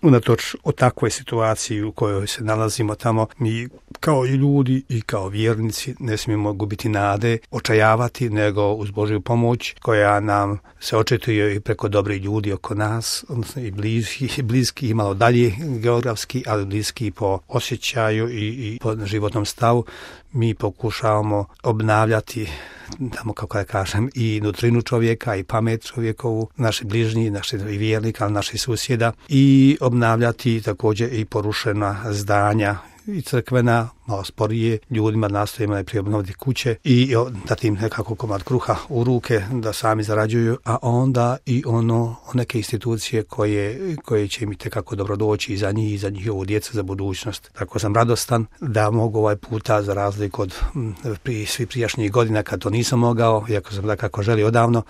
unatoč o takvoj situaciji u kojoj se nalazimo tamo, mi kao i ljudi i kao vjernici ne smijemo gubiti nade, očajavati, nego uz Božju pomoć koja nam se očituje i preko dobrih ljudi oko nas, odnosno i bliski i malo dalje geografski, ali bliski po osjećaju i po životnom stavu. Mi pokušavamo obnavljati, tamo kako da kažem, i nutrinu čovjeka i pamet čovjekovu, naši bližnji, naši vjernika, naši susjeda, i obnavljati također i porušena zdanja i crkvena, malo sporije, ljudima nastojimo najprije obnoviti kuće i dati im nekako komad kruha u ruke da sami zarađuju, a onda i neke institucije koje će im itekako dobro doći i za njih i za njihovu djecu, za budućnost. Tako sam radostan da mogu ovaj puta, za razliku od svih prijašnjih godina kad to nisam mogao, iako sam dakako želio odavno,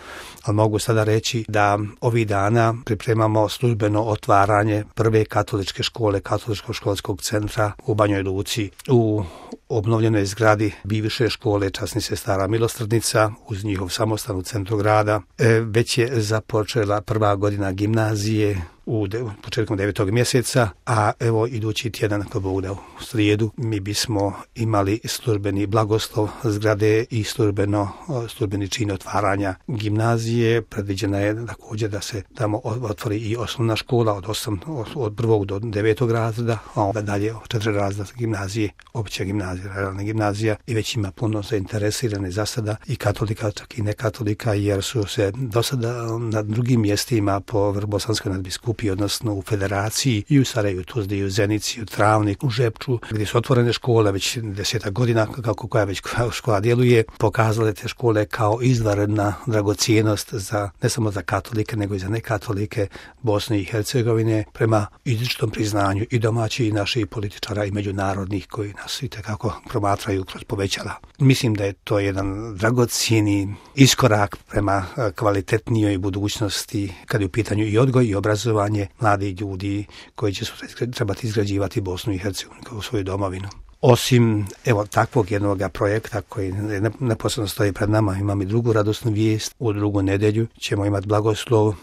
ali mogu sada reći da ovih dana pripremamo službeno otvaranje prve katoličke škole, katoličkog školskog centra u Banjoj Luci, u obnovljenoj zgradi bivše škole časnih sestara Milosrdnica uz njihov samostan u centru grada. Već je započela prva godina gimnazije početkom 9. mjeseca, a evo idući tjedan, ako Bog da, u srijedu, mi bismo imali službeni blagoslov zgrade i službeni čin otvaranja gimnazije. Predviđena je također da se tamo otvori i osnovna škola od 1. do 9. razreda, a onda dalje 4 razreda gimnazije, opća gimnazija, realna gimnazija, i već ima puno zainteresirane za sada i katolika, čak i nekatolika, jer su se do sada na drugim mjestima po Vrbosanskoj nadbiskupiji, odnosno u Federaciji, i u Sarajevu, Tuzli, i u Zenici, u Travniku, u Žepču, gdje su otvorene škole već 10 godina, koja već škola djeluje, pokazale te škole kao izvanredna dragocjenost ne samo za katolike, nego i za nekatolike Bosne i Hercegovine, prema izričitom priznanju i domaćih i naših političara i međunarodnih koji nas itekako promatraju kroz povećala. Mislim da je to jedan dragocjeni iskorak prema kvalitetnijoj budućnosti kad je u pitanju i odgoj i obrazovanje mladih ljudi koji će trebati izgrađivati Bosnu i Hercegovinu kao svoju domovinu. Osim takvog jednog projekta koji neposredno stoji pred nama, imam i drugu radosnu vijest. U drugu nedjelju ćemo imati blagoslov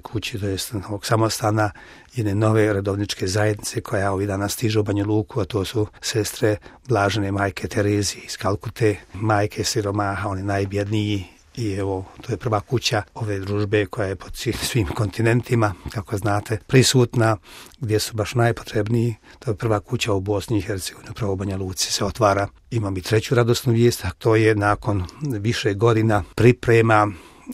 kući, to jest ovog samostana, jedne nove redovničke zajednice koja ovih dana stiže u Banju Luku, a to su sestre Blažene majke Terezije iz Kalkute, majke siromaha, oni najbjedniji. I to je prva kuća ove družbe koja je po svim kontinentima, kako znate, prisutna, gdje su baš najpotrebniji. To je prva kuća u Bosni i Hercegovini, upravo u Banja Luci se otvara. Imam i treću radosnu vijest, a to je nakon više godina priprema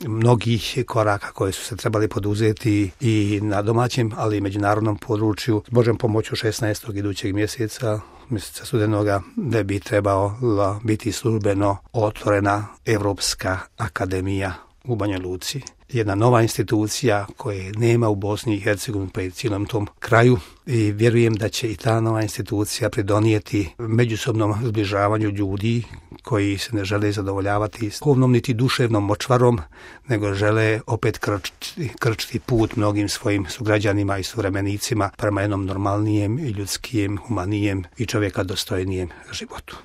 mnogih koraka koje su se trebali poduzeti i na domaćem, ali i međunarodnom području. S Božjom pomoću 16. idućeg mjeseca studenoga, da bi trebala biti službeno otvorena Evropska akademija u Banja Luci. Jedna nova institucija koje nema u Bosni i Hercegovini pa i cijelom tom kraju, i vjerujem da će i ta nova institucija pridonijeti međusobnom zbližavanju ljudi koji se ne žele zadovoljavati duhovnom niti duševnom močvarom, nego žele opet krčiti put mnogim svojim sugrađanima i suvremenicima prema jednom normalnijem i ljudskijem, humanijem i čovjeka dostojnijem životu.